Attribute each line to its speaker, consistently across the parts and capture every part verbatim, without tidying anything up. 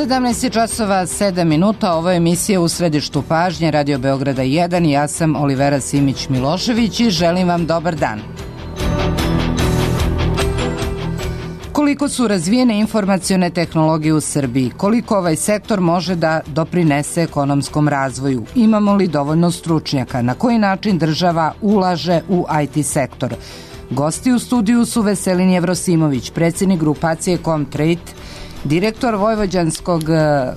Speaker 1: sedamnaest časova sedam minuta, ovo je emisija U središtu pažnje Radio Beograda jedan i ja sam Olivera Simić-Milošević i želim vam dobar dan. Koliko su razvijene informacione tehnologije u Srbiji? Koliko ovaj sektor može da doprinese ekonomskom razvoju? Imamo li dovoljno stručnjaka? Na koji način država ulaže u I T sektor? Gosti u studiju su Veselin Jevrosimović, predsjednik grupacije Comtrade, direktor vojvođanskog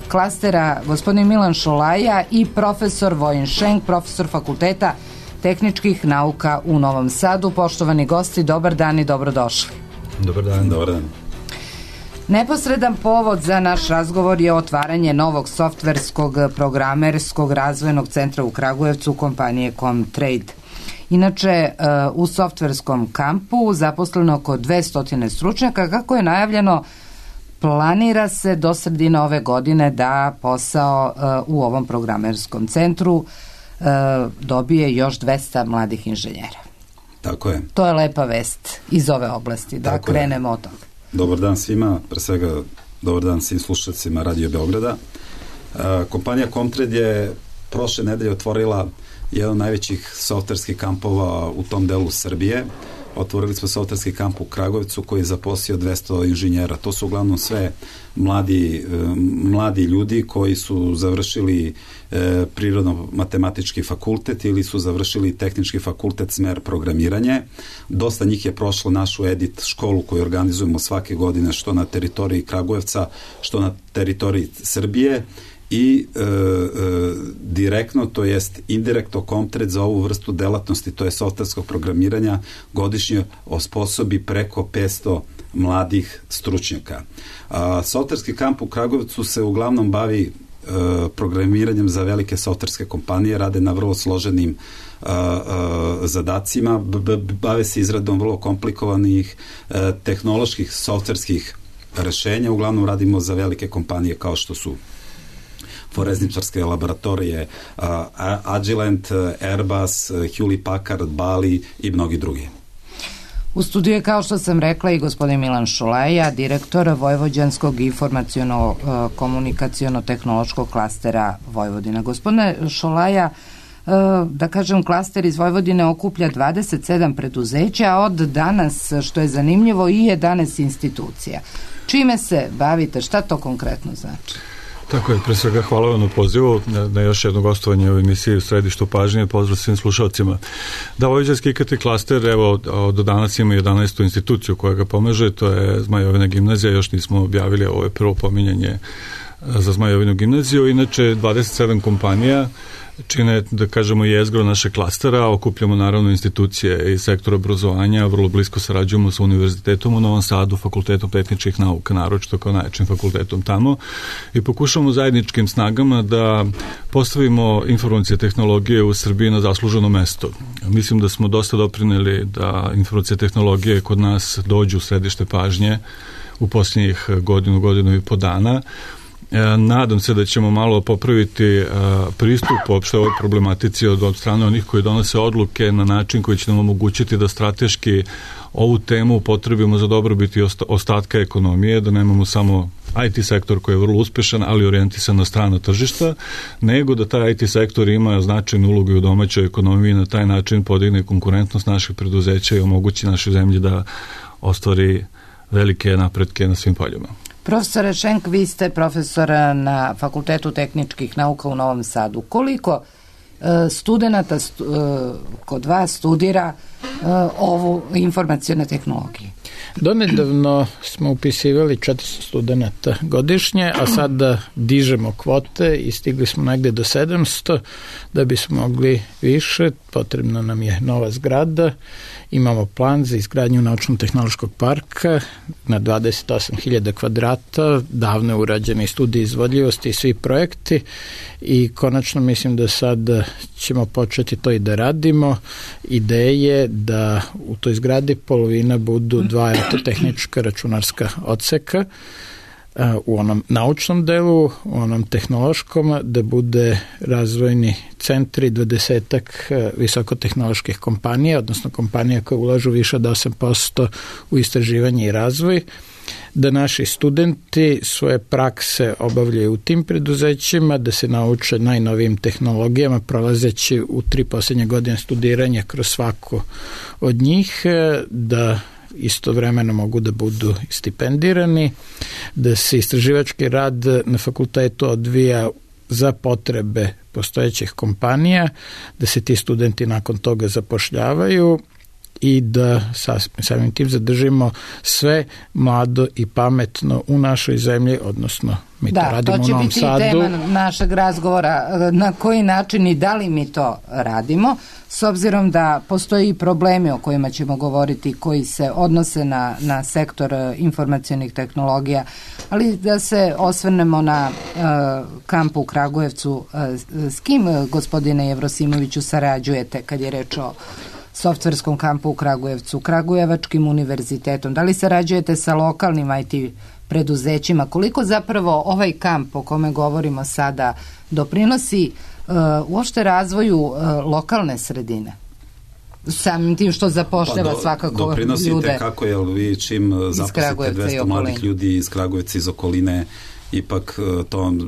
Speaker 1: klastera gospodin Milan Šolaja i profesor Vojin Šenk, profesor Fakulteta tehničkih nauka u Novom Sadu. Poštovani gosti, dobar dan i dobrodošli.
Speaker 2: Dobar dan. Dobar dan.
Speaker 1: Neposredan povod za naš razgovor je otvaranje novog softverskog programerskog razvojnog centra u Kragujevcu kompanije Comtrade. Inače, u softverskom kampu zaposleno oko dvesta stručnjaka. Kako je najavljeno, planira se do sredine ove godine da posao u ovom programerskom centru dobije još dvesta mladih inženjera.
Speaker 2: Tako je.
Speaker 1: To je lepa vest iz ove oblasti, da Tako krenemo je. od toga.
Speaker 2: Dobar dan svima, pre svega dobar dan svim slušalcima Radio Beograda. Kompanija Comtrade je prošle nedelje otvorila jedan od najvećih softverskih kampova u tom delu Srbije. Otvorili smo softverski kamp u Kragujevcu koji je zaposlio dvesta inženjera. To su uglavnom sve mladi, mladi ljudi koji su završili e, prirodno-matematički fakultet ili su završili tehnički fakultet smer programiranje. Dosta njih je prošlo našu edit školu koju organizujemo svake godine što na teritoriji Kragujevca, što na teritoriji Srbije. I e, e, direktno, to jest indirektno Comtrade za ovu vrstu delatnosti, to je softverskog programiranja, godišnje osposobi preko petsto mladih stručnjaka. A, softverski kamp u Kragujevcu se uglavnom bavi e, programiranjem za velike softverske kompanije, rade na vrlo složenim a, a, zadacima, b, b, bave se izradom vrlo komplikovanih a, tehnoloških softverskih rešenja, uglavnom radimo za velike kompanije kao što su forenzničarske laboratorije, uh, Agilent, Airbus, Hewlett Packard, Bali i mnogi drugi.
Speaker 1: U studiju je, kao što sam rekla, i gospodin Milan Šolaja, direktor Vojvođanskog informaciono-komunikaciono-tehnološkog klastera Vojvodina. Gospodine Šolaja, da kažem, klaster iz Vojvodine okuplja dvadeset sedam preduzeća, a od danas, što je zanimljivo, i jedanaest institucija. Čime se bavite? Šta to konkretno znači?
Speaker 3: Tako je, pre svega hvala vam na pozivu, na, na još jedno gostovanje u emisiji U središtu pažnje, pozdrav svim slušalcima. Da, Vojvođanski I K T klaster, evo, od danas ima jedanaestu instituciju koja ga pomaže, to je Zmajovina gimnazija, još nismo objavili, ovo je prvo pominjanje za Zmajovinu gimnaziju, inače dvadeset sedam kompanija čine, da kažemo, jezgro naše klastera, okupljamo naravno institucije iz sektora obrazovanja, vrlo blisko sarađujemo sa Univerzitetom u Novom Sadu, Fakultetom tehničkih nauka, naročito kao najjačim fakultetom tamo, i pokušamo zajedničkim snagama da postavimo informacije tehnologije u Srbiji na zasluženo mesto. Mislim da smo dosta doprineli da informacije tehnologije kod nas dođu u središte pažnje u posljednjih godinu, godinu i po dana. Nadam se da ćemo malo popraviti pristup uopšte ovoj problematici od, od strane onih koji donose odluke na način koji će nam omogućiti da strateški ovu temu upotrebimo za dobrobit i ostatka ekonomije, da nemamo samo I T sektor koji je vrlo uspešan, ali orijentisan na strana tržišta, nego da taj I T sektor ima značajnu ulogu u domaćoj ekonomiji i na taj način podigne konkurentnost naših preduzeća i omogući našoj zemlji da ostvari velike napretke na svim poljima.
Speaker 1: Profesore Šenk, vi ste profesor na Fakultetu tehničkih nauka u Novom Sadu. Koliko uh, studenata stu, uh, kod vas studira uh, ovu informacione tehnologije?
Speaker 4: Donedavno smo upisivali četiristo studenata godišnje, a sad da dižemo kvote i stigli smo negde do sedamsto. Da bismo mogli više, potrebna nam je nova zgrada. Imamo plan za izgradnju naučno-tehnološkog parka na dvadeset osam hiljada kvadrata, davno je urađeni studij izvodljivosti i svi projekti i konačno mislim da sad ćemo početi to i da radimo. Ideje da u toj zgradi polovina budu dva elektrotehnička računarska odseka, u onom naučnom delu, u onom tehnološkom, da bude razvojni centri dvadesetak visokotehnoloških kompanija, odnosno kompanija koje ulažu više od osam posto u istraživanje i razvoj, da naši studenti svoje prakse obavljaju u tim preduzećima, da se nauče najnovijim tehnologijama, prolazeći u tri posljednje godine studiranja kroz svaku od njih, da istovremeno mogu da budu stipendirani, da se istraživački rad na fakultetu odvija za potrebe postojećih kompanija, da se ti studenti nakon toga zapošljavaju i da samim tim zadržimo sve mlado i pametno u našoj zemlji, odnosno mi to
Speaker 1: da,
Speaker 4: radimo
Speaker 1: to
Speaker 4: u Novom Sadu.
Speaker 1: Da, to će biti tema našeg razgovora, na koji način i da li mi to radimo, s obzirom da postoji problemi o kojima ćemo govoriti koji se odnose na, na sektor informacionih tehnologija, ali da se osvrnemo na uh, kamp u Kragujevcu. Uh, s kim, gospodine Jevrosimoviću, sarađujete kad je reč o softverskom kampu u Kragujevcu, Kragujevačkim univerzitetom? Da li sarađujete sa lokalnim I T preduzećima? Koliko zapravo ovaj kamp o kome govorimo sada doprinosi uh, uopšte razvoju uh, lokalne sredine? Samim tim što zapošljava pa do, svakako
Speaker 2: doprinosite
Speaker 1: ljude.
Speaker 2: Doprinosite kako, jel vi čim zaposlite dvesta mladih ljudi iz Kragujevca, iz okoline, ipak to vam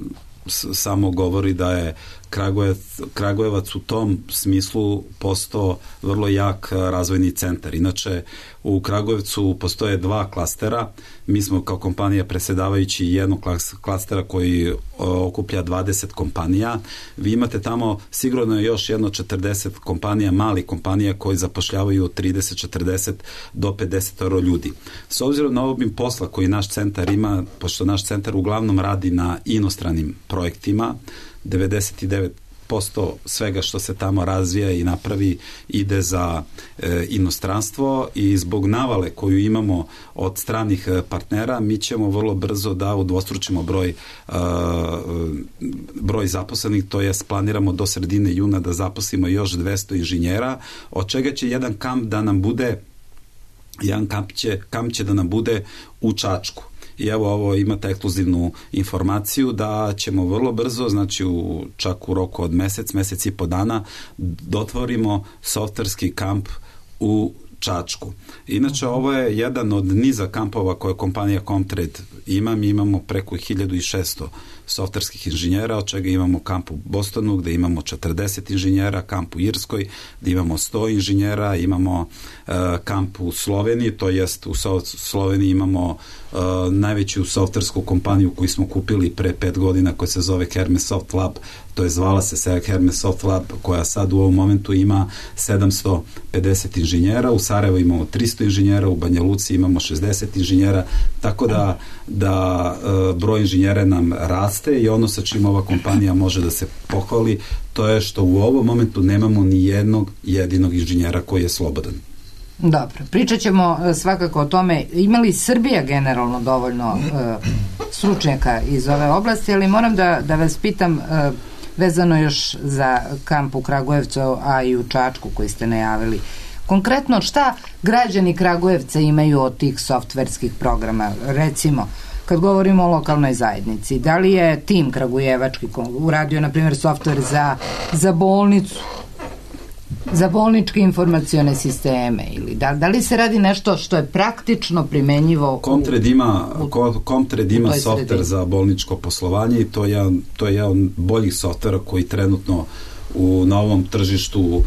Speaker 2: samo govori da je Kragujevac, Kragujevac u tom smislu postao vrlo jak razvojni centar. Inače, u Kragujevcu postoje dva klastera. Mi smo kao kompanija predsjedavajući jednog klastera koji okuplja dvadeset kompanija. Vi imate tamo sigurno još jedno četrdeset kompanija, malih kompanija koji zapošljavaju od trideset, četrdeset do pedeset ljudi. S obzirom na obim posla koji naš centar ima, pošto naš centar uglavnom radi na inostranim projektima, devedeset devet posto svega što se tamo razvija i napravi ide za e, inostranstvo i zbog navale koju imamo od stranih partnera mi ćemo vrlo brzo da udvostručimo broj e, broj zaposlenih, to jest planiramo do sredine juna da zaposlimo još dvesta inženjera, od čega će jedan kamp da nam bude jedan kamp će, kamp će da nam bude u Čačku. I evo ovo imate ekskluzivnu informaciju da ćemo vrlo brzo, znači u, čak u roku od mesec, mesec i po dana dotvorimo softverski kamp u Čačku. Inače, ovo je jedan od niza kampova koje kompanija Comtrade ima. Mi imamo preko hiljadu šessto softverskih inženjera, od čega imamo kamp u Bostonu gde imamo četrdeset inženjera, kamp u Irskoj gde imamo sto inženjera, imamo uh, kamp u Sloveniji, to jest u Sloveniji imamo uh, najveću softversku kompaniju koju smo kupili pre pet godina koja se zove Hermes Soft Lab, to je zvala se Hermes Soft Lab, koja sad u ovom momentu ima sedamsto pedeset inženjera, u Sarajevu imamo tristo inženjera, u Banja Luci imamo šezdeset inženjera, tako da, da uh, broj inženjera nam raste i ono sa čim ova kompanija može da se pohvali, to je što u ovom momentu nemamo ni jednog jedinog inženjera koji je slobodan.
Speaker 1: Dobro, pričat ćemo svakako o tome. Ima li Srbija generalno dovoljno uh, stručnjaka iz ove oblasti, ali moram da, da vas pitam uh, vezano još za kamp u Kragujevcu, a i u Čačku koji ste najavili. Konkretno, šta građani Kragujevca imaju od tih softverskih programa? Recimo, kad govorimo o lokalnoj zajednici, da li je tim kragujevački uradio, na primjer, softver za, za bolnicu, za bolničke informacione sisteme, ili da, da li se radi nešto što je praktično primenjivo?
Speaker 2: Comtrade ima, Comtrade ima softver za bolničko poslovanje i to je, to je jedan boljih softvera koji trenutno u novom tržištu uh,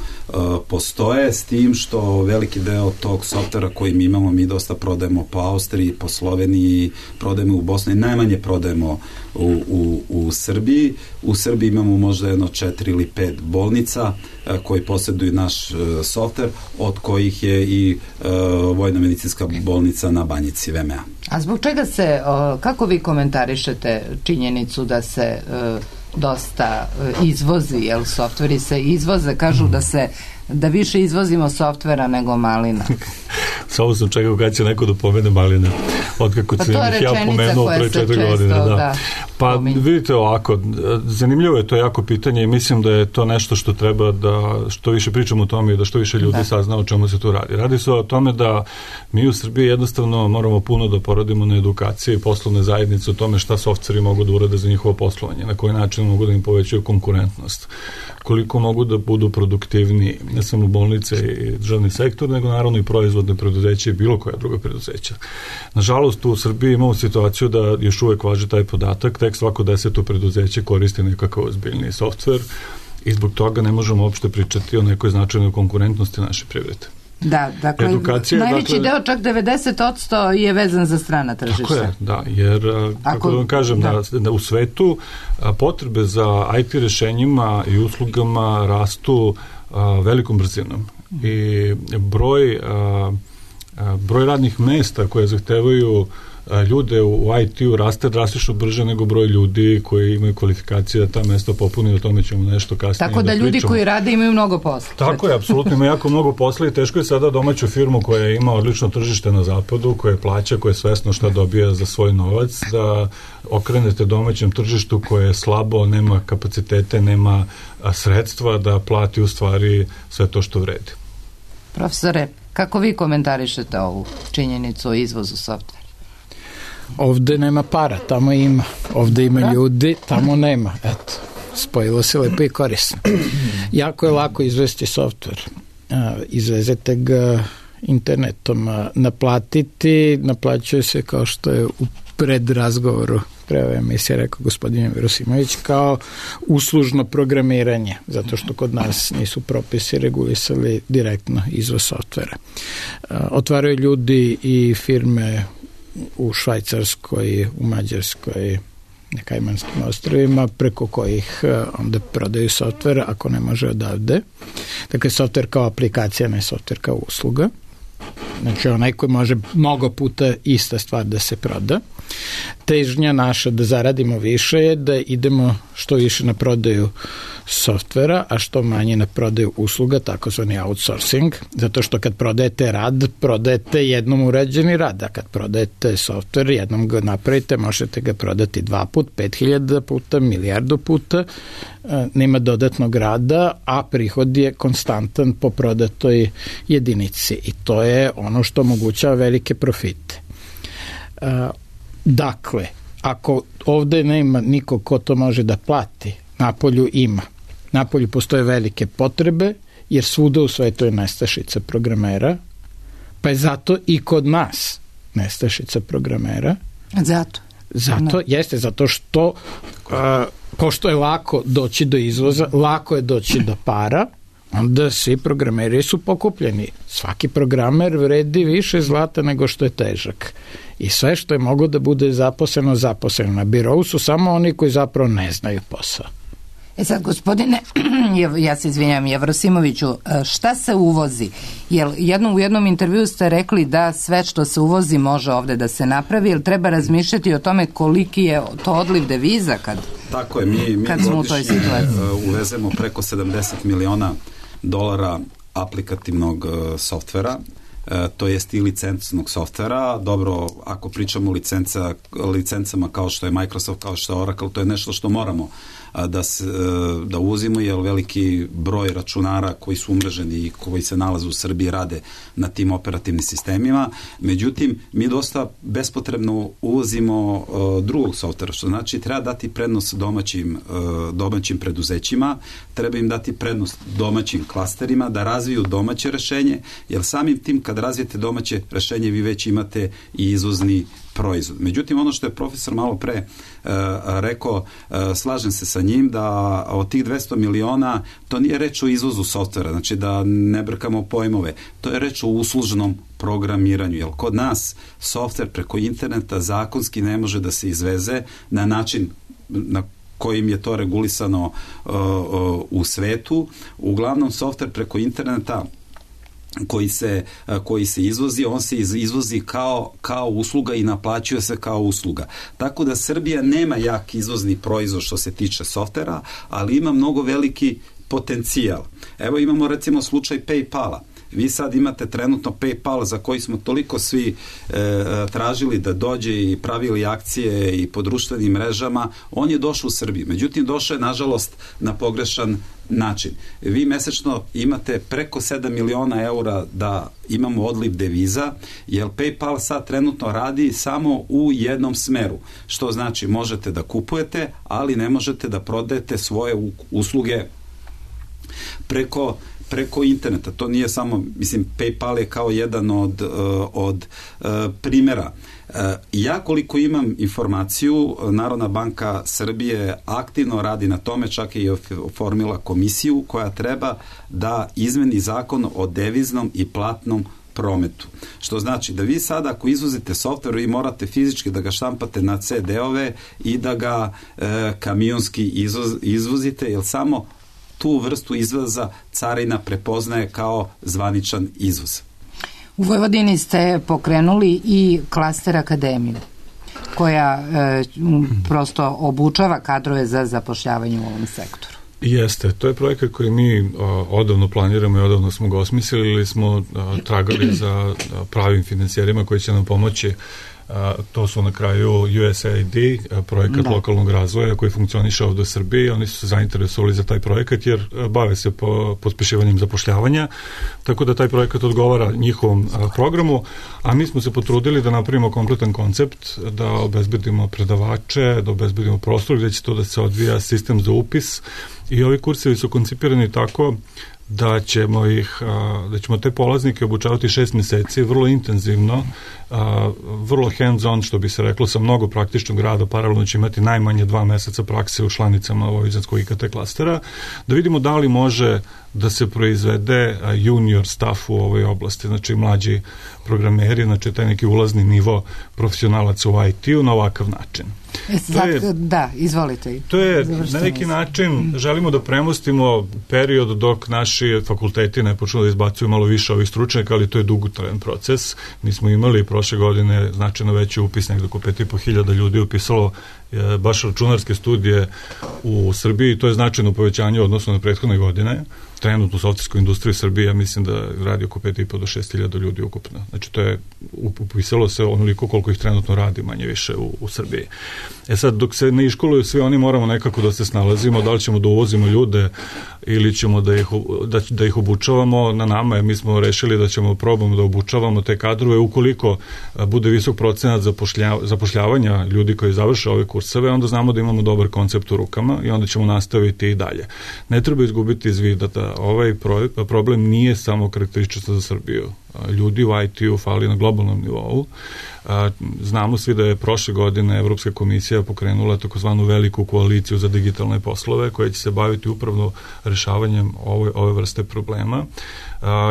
Speaker 2: postoje, s tim što veliki deo tog softvera koji mi imamo, mi dosta prodajemo po Austriji, po Sloveniji, prodajemo u Bosni, najmanje prodajemo u, u, u Srbiji. U Srbiji imamo možda jedno četiri ili pet bolnica uh, koji posjeduju naš uh, softver, od kojih je i uh, Vojna medicinska bolnica na Banjici, V M A.
Speaker 1: A zbog čega se, uh, kako vi komentarišete činjenicu da se uh, dosta izvozi, jel, softveri se izvoze, kažu da se da više izvozimo softvera nego malina.
Speaker 3: Samo sam čekao kada će neko da pomene maline, otkako
Speaker 1: pa
Speaker 3: sam ih ja pomenuo pre četiri godine. Da. Da. Pa
Speaker 1: pominje?
Speaker 3: vidite ovako, zanimljivo je to jako pitanje i mislim da je to nešto što treba da što više pričamo o tome i da što više ljudi da. sazna o čemu se tu radi. Radi se o tome da mi u Srbiji jednostavno moramo puno da poradimo na edukaciji i poslovne zajednice o tome šta softveri mogu da urade za njihovo poslovanje, na koji način mogu da im povećaju konkurentnost, koliko mogu da budu produktivni, ne samo bolnice i državni sektor, nego naravno i proizvodne preduzeće i bilo koja druga preduzeća. Nažalost, u Srbiji imamo situaciju da još uvek važi taj podatak, tek svako deseto preduzeće koristi nekakav ozbiljni softver i zbog toga ne možemo uopšte pričati o nekoj značajnoj konkurentnosti naše privrede.
Speaker 1: Da, dakle, Edukacija, najveći dakle, deo, čak devedeset posto je vezan za strana tržišta. Tako je,
Speaker 3: da, jer, kako da vam kažem, da. Da, da u svetu a, potrebe za I T rešenjima i uslugama rastu a, velikom brzinom i broj, a, a, broj radnih mesta koje zahtevaju ljude u I T-u raste drastično brže nego broj ljudi koji imaju kvalifikacije da ta mesta popuni, o tome ćemo nešto kasnije.
Speaker 1: Tako da, da ljudi pričamo. Koji rade imaju mnogo posla.
Speaker 3: Tako je, apsolutno ima jako mnogo posla i teško je sada domaću firmu koja ima odlično tržište na zapadu, koja plaća, koja je svesno šta dobija za svoj novac, da okrenete domaćem tržištu koje je slabo, nema kapacitete, nema sredstva da plati u stvari sve to što vredi.
Speaker 1: Profesore, kako vi komentarišete ovu činjenicu o izvozu softvera?
Speaker 4: Ovde nema para, tamo ima. Ovde ima da? Ljudi, tamo nema. Eto, spojilo se lepo i korisno. Jako je lako izvesti softver. Izvezete ga internetom, naplatiti, naplaćuje se kao što je u predrazgovoru pre ove emisije rekao gospodin Verosimović, kao uslužno programiranje, zato što kod nas nisu propisi regulisali direktno izvoz softvera. Otvaraju ljudi i firme u Švajcarskoj, u Mađarskoj, na Kajmanskim ostrvima, preko kojih onda prodaju softver ako ne može odavde. Dakle, softver kao aplikacija, ne softver kao usluga. Znači, onaj koji može mnogo puta ista stvar da se proda. Težnja naša da zaradimo više je da idemo što više na prodaju softvera, a što manje na prodaju usluga, takozvani outsourcing, zato što kad prodajete rad, prodajete jednom urađeni rad, a kad prodajete softver, jednom ga napravite, možete ga prodati dva put, pet hiljada puta, milijardu puta, nema dodatnog rada, a prihod je konstantan po prodatoj jedinici i to je ono što omogućava velike profite. Dakle, ako ovde nema niko ko to može da plati, napolju ima. Napolju postoje velike potrebe, jer svuda u svetu je nestašica programera, pa je zato i kod nas nestašica programera.
Speaker 1: Zato?
Speaker 4: Zato, jeste, zato što uh, pošto je lako doći do izvoza, lako je doći do para, onda svi programeri su pokupljeni. Svaki programer vredi više zlata nego što je težak. I sve što je moglo da bude zaposleno, zaposleno. Na birovu su samo oni koji zapravo ne znaju posao.
Speaker 1: E sad, gospodine, ja se izvinjam, Jevrosimoviću, šta se uvozi? Jer jedno, u jednom intervju ste rekli da sve što se uvozi može ovde da se napravi, jer treba razmišljati o tome koliki je to odliv deviza kad,
Speaker 2: tako je, mi, mi
Speaker 1: kad smo u toj situaciji.
Speaker 2: Uvezemo preko sedamdeset miliona dolara aplikativnog uh, softvera, uh, to jest i licencnog softvera. Dobro, ako pričamo o licenca, licencama kao što je Microsoft, kao što je Oracle, to je nešto što moramo da, se, da uzimo, jer veliki broj računara koji su umreženi i koji se nalaze u Srbiji rade na tim operativnim sistemima. Međutim, mi dosta bespotrebno uvozimo uh, drugog softvera, što znači treba dati prednost domaćim, uh, domaćim preduzećima, treba im dati prednost domaćim klasterima da razviju domaće rešenje, jer samim tim kad razvijete domaće rešenje vi već imate i izvozni proizvod. Međutim, ono što je profesor malo pre uh, rekao, uh, slažem se sa njim da od tih dvesta miliona to nije reč o izvozu softvera, znači da ne brkamo pojmove, to je reč o uslužnom programiranju, jer kod nas softver preko interneta zakonski ne može da se izveze na način na kojim je to regulisano uh, uh, u svetu. Uglavnom, softver preko interneta koji se, koji se izvozi, on se izvozi kao, kao usluga i naplaćuje se kao usluga. Tako da Srbija nema jak izvozni proizvod što se tiče softvera, ali ima mnogo veliki potencijal. Evo imamo recimo slučaj PayPala. Vi sad imate trenutno PayPal za koji smo toliko svi e, tražili da dođe i pravili akcije i po društvenim mrežama. On je došao u Srbiju. Međutim, došao je, nažalost, na pogrešan način. Vi mesečno imate preko sedam miliona eura da imamo odliv deviza, jer PayPal sad trenutno radi samo u jednom smeru. Što znači, možete da kupujete, ali ne možete da prodajete svoje usluge preko preko interneta. To nije samo, mislim, PayPal je kao jedan od, od primjera. Ja koliko imam informaciju, Narodna banka Srbije aktivno radi na tome, čak i oformila komisiju koja treba da izmeni zakon o deviznom i platnom prometu. Što znači da vi sada ako izvozite softver, vi morate fizički da ga štampate na ce de-ove i da ga e, kamionski izvoz, izvozite, jer samo tu vrstu izvoza carina prepoznaje kao zvaničan izvoz.
Speaker 1: U Vojvodini ste pokrenuli i klaster akademiju, koja e, prosto obučava kadrove za zapošljavanje u ovom sektoru.
Speaker 3: Jeste, to je projekat koji mi o, odavno planiramo i odavno smo ga osmislili ili smo o, tragali za o, pravim financijerima koji će nam pomoći. A, to su na kraju U S A I D, projekat da. lokalnog razvoja koji funkcioniše ovdje u Srbiji. Oni su se zainteresovali za taj projekat jer bave se po pospešivanjem zapošljavanja, tako da taj projekat odgovara njihovom a, programu, a mi smo se potrudili da napravimo kompletan koncept, da obezbedimo predavače, da obezbedimo prostor gdje će to da se odvija sistem za upis, i ovi kursevi su koncipirani tako da ćemo ih, da ćemo te polaznike obučavati šest mjeseci, vrlo intenzivno, vrlo hands-on, što bi se reklo, sa mnogo praktičnog rada. Paralelno će imati najmanje dva meseca prakse u članicama Vojvođanskog I K T klastera, da vidimo da li može da se proizvede junior staff u ovoj oblasti, znači mlađi programeri, znači taj neki ulazni nivo profesionalaca u I T-u na ovakav način.
Speaker 1: Sad, je, da, izvolite.
Speaker 3: To je na neki način, želimo da premostimo period dok naši fakulteti ne počnu da izbacuju malo više ovih stručnjaka, ali to je dugotrajan proces. Mi smo imali prošle godine značajno veći upis, nekdo oko pet i po hiljada ljudi upisalo je, baš računarske studije u Srbiji, to je značajno povećanje odnosno na prethodne godine. Trenutno u softverskoj industriji Srbije, ja mislim da radi oko pet i po do šest hiljada ljudi ukupno. Znači to je, upisalo se onoliko koliko ih trenutno radi manje više u, u Srbiji. E sad, dok se ne iškoluju svi oni, moramo nekako da se snalazimo, da li ćemo da uvozimo ljude ili ćemo da ih, da, da ih obučavamo. Na nama je, mi smo rešili da ćemo probamo da obučavamo te kadrove. Ukoliko bude visok procenat zapošlja, zapošljavanja ljudi koji završe ove kurseve, onda znamo da imamo dobar koncept u rukama i onda ćemo nastaviti i dalje. Ne treba izgubiti iz vida da ovaj problem nije samo karakterističan za Srbiju. Ljudi u I T-u fali na globalnom nivou. Znamo svi da je prošle godine Evropska komisija pokrenula takozvanu veliku koaliciju za digitalne poslove koja će se baviti upravo rešavanjem ove, ove vrste problema.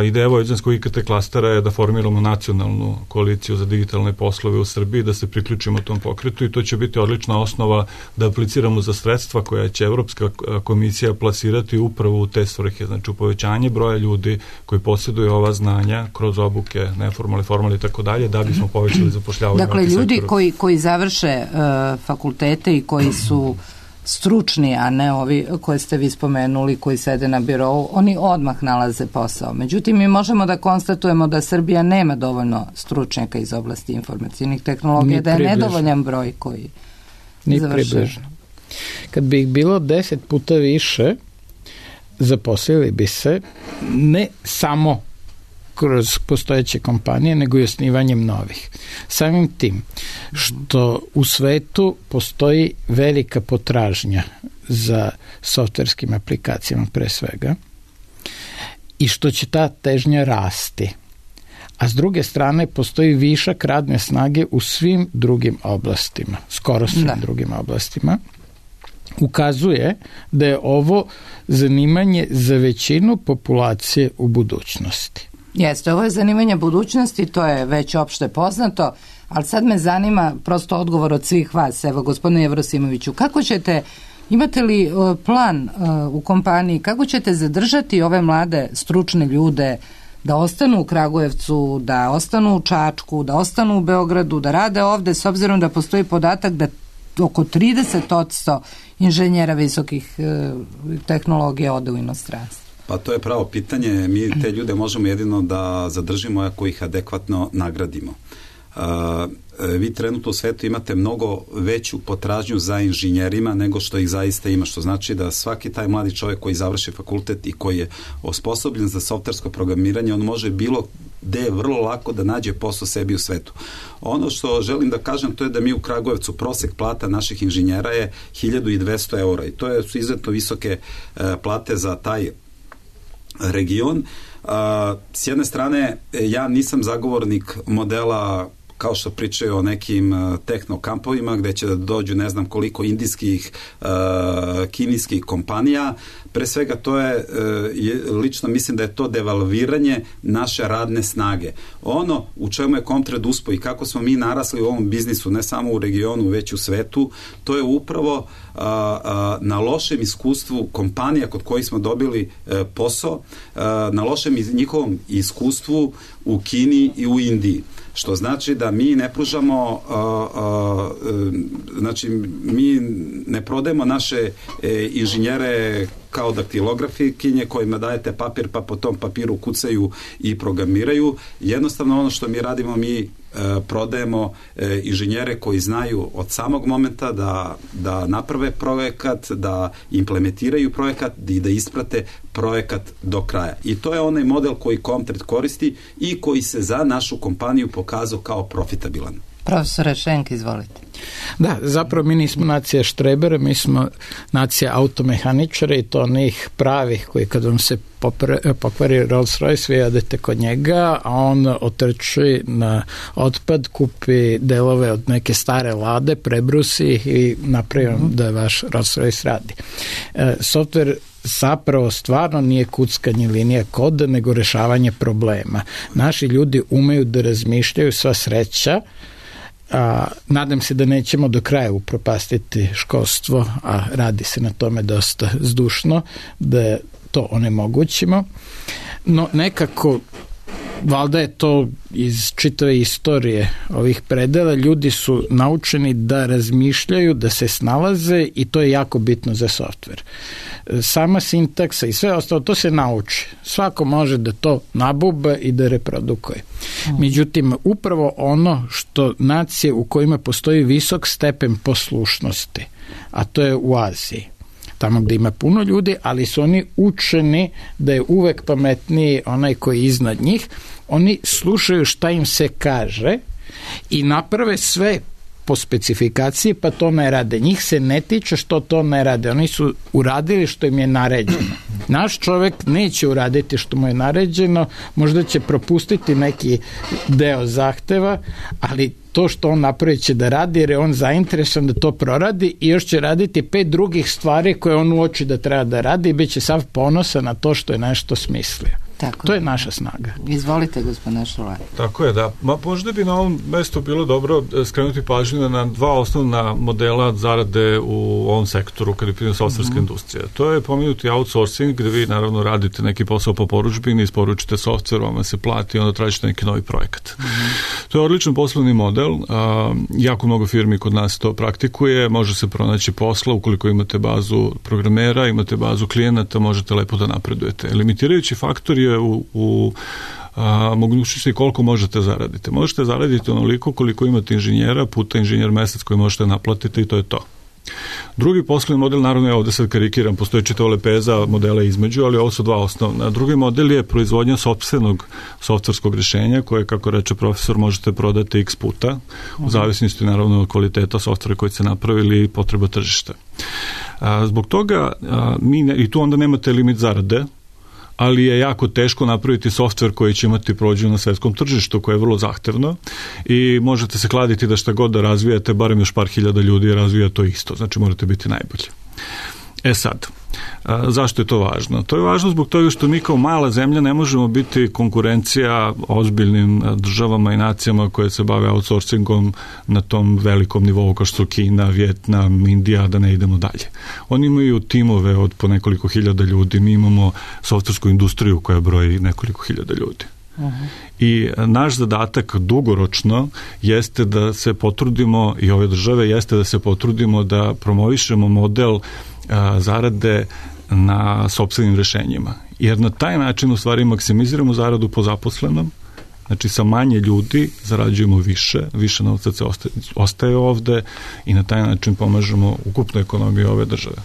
Speaker 3: Ideja Vojvođanskog I K T klastera je da formiramo nacionalnu koaliciju za digitalne poslove u Srbiji, da se priključimo tom pokretu i to će biti odlična osnova da apliciramo za sredstva koja će Evropska komisija plasirati upravo u te svrhe, znači u povećanje broja ljudi koji posjeduju ova znanja kroz obuke, neformalne, formalne i tako dalje, da bismo povećali zapošljavanje.
Speaker 1: Dakle, ljudi koji, koji završe uh, fakultete i koji su stručni, a ne ovi koje ste vi spomenuli, koji sede na birovu, oni odmah nalaze posao. Međutim, mi možemo da konstatujemo da Srbija nema dovoljno stručnjaka iz oblasti informacijnih tehnologija, da je nedovoljan broj koji završuje.
Speaker 4: Kad bi ih bilo deset puta više, zaposlili bi se ne samo kroz postojeće kompanije, nego i osnivanjem novih. Samim tim što u svetu postoji velika potražnja za softverskim aplikacijama pre svega i što će ta težnja rasti. A s druge strane postoji višak radne snage u svim drugim oblastima, skoro svim da. drugim oblastima, ukazuje da je ovo zanimanje za većinu populacije u budućnosti.
Speaker 1: Jeste, ovo je zanimanje budućnosti, to je već opšte poznato, ali sad me zanima prosto odgovor od svih vas. Evo, gospodine Jevrosimoviću, kako ćete, imate li plan u kompaniji, kako ćete zadržati ove mlade stručne ljude da ostanu u Kragujevcu, da ostanu u Čačku, da ostanu u Beogradu, da rade ovde, s obzirom da postoji podatak da oko trideset posto inženjera visokih e, tehnologija ode u inostranstvo?
Speaker 2: Pa to je pravo pitanje. Mi te ljude možemo jedino da zadržimo ako ih adekvatno nagradimo. Uh, vi trenutno u svetu imate mnogo veću potražnju za inženjerima nego što ih zaista ima, što znači da svaki taj mladi čovjek koji završi fakultet i koji je osposobljen za softversko programiranje, on može bilo gde vrlo lako da nađe posao sebi u svetu. Ono što želim da kažem, to je da mi u Kragujevcu prosek plata naših inženjera je hiljadu dvesta eura i to je, su izuzetno visoke uh, plate za taj region. Uh, s jedne strane, ja nisam zagovornik modela kao što pričaju o nekim uh, tehnokampovima gde će da dođu ne znam koliko indijskih, uh, kinijskih kompanija. Pre svega to je, uh, je, lično mislim da je to devalviranje naše radne snage. Ono u čemu je Comtrade uspeo i kako smo mi narasli u ovom biznisu, ne samo u regionu, već u svetu, to je upravo uh, uh, na lošem iskustvu kompanija kod kojih smo dobili uh, posao, uh, na lošem iz, njihovom iskustvu u Kini i u Indiji. Što znači da mi ne pružamo, a, a, znači mi ne prodajemo naše e, inženjere kao daktilografikinje kojima dajete papir pa po tom papiru kucaju i programiraju. Jednostavno ono što mi radimo, mi e, prodajemo e, inženjere koji znaju od samog momenta da, da naprave projekat, da implementiraju projekat i da isprate projekat do kraja. I to je onaj model koji Comtrade koristi i koji se za našu kompaniju pokazao kao profitabilan.
Speaker 1: Profesore Šenk, izvolite.
Speaker 4: Da, zapravo mi nismo nacija štrebera, mi smo nacija automehaničara i to onih pravih koji kad vam se pokvari Rolls Royce, vi odete kod njega, a on otrči na otpad, kupi delove od neke stare lade, prebrusi i napravi vam da vaš Rolls Royce radi. E, software zapravo stvarno nije kuckanje linija koda, nego rešavanje problema. Naši ljudi umeju da razmišljaju, sva sreća. A, nadam se da nećemo do kraja upropastiti školstvo, a radi se na tome dosta zdušno, da to onemogućimo. No nekako, valjda je to iz čitave istorije ovih predela, ljudi su naučeni da razmišljaju, da se snalaze i to je jako bitno za softver. Sama sintaksa i sve ostalo, to se nauči. Svako može da to nabuba i da reprodukuje. Međutim, upravo ono što nacije u kojima postoji visok stepen poslušnosti, a to je u Aziji, tamo gde ima puno ljudi, ali su oni učeni da je uvek pametniji onaj koji je iznad njih, oni slušaju šta im se kaže i naprave sve po specifikaciji, pa to ne rade. Njih se ne tiče što to ne rade. Oni su uradili što im je naređeno. Naš čovek neće uraditi što mu je naređeno, možda će propustiti neki deo zahteva, ali to što on napravi će da radi, jer je on zainteresovan da to proradi i još će raditi pet drugih stvari koje on uoči da treba da radi i bit će sav ponosan na to što je nešto smislio. Tako to je naša snaga.
Speaker 1: Izvolite, gospodine Šolaj.
Speaker 3: Tako je, da. Ma, možda bi na ovom mestu bilo dobro skrenuti pažnju na dva osnovna modela zarade u ovom sektoru kada je pitanje softverska mm-hmm. industrija. To je pomenuti outsourcing, gde vi naravno radite neki posao po poručbini, isporučite softver, vama se plati i onda tražite neki novi projekat. Mm-hmm. To je odličan poslovni model. A, jako mnogo firmi kod nas to praktikuje. Može se pronaći posla ukoliko imate bazu programera, imate bazu klijenata, možete lepo da napredujete. Limitirajući faktor je u, u a, mogućnosti koliko možete zaraditi. Možete zaraditi onoliko koliko imate inženjera puta inženjer mesec koji možete naplatiti i to je to. Drugi poslovni model, naravno ja ovde sad karikiram, postoje čitava lepeza modela između, ali ovo su dva osnovna. Drugi model je proizvodnja sopstvenog softverskog rešenja koje, kako reče profesor, možete prodati x puta, u zavisnosti naravno od kvaliteta softvera koji ste napravili i potreba tržišta. A, zbog toga a, mi ne, i tu onda nemate limit zarade, ali je jako teško napraviti softver koji će imati prođu na svetskom tržištu, koje je vrlo zahtevno i možete se kladiti da šta god da razvijate, barem još par hiljada ljudi razvija to isto, znači morate biti najbolji. E sad, a, zašto je to važno? To je važno zbog toga što mi kao mala zemlja ne možemo biti konkurencija ozbiljnim državama i nacijama koje se bave outsourcingom na tom velikom nivou kao što su Kina, Vjetnam, Indija, da ne idemo dalje. Oni imaju timove od po nekoliko hiljada ljudi, mi imamo softversku industriju koja broji nekoliko hiljada ljudi. Uh-huh. I naš zadatak dugoročno jeste da se potrudimo, i ove države jeste da se potrudimo da promovišemo model a, zarade na sopstvenim rešenjima. Jer na taj način u stvari maksimiziramo zaradu po zaposlenom, znači sa manje ljudi zarađujemo više, više novca se ostaje, ostaje ovde i na taj način pomažemo ukupnu ekonomiju ove države.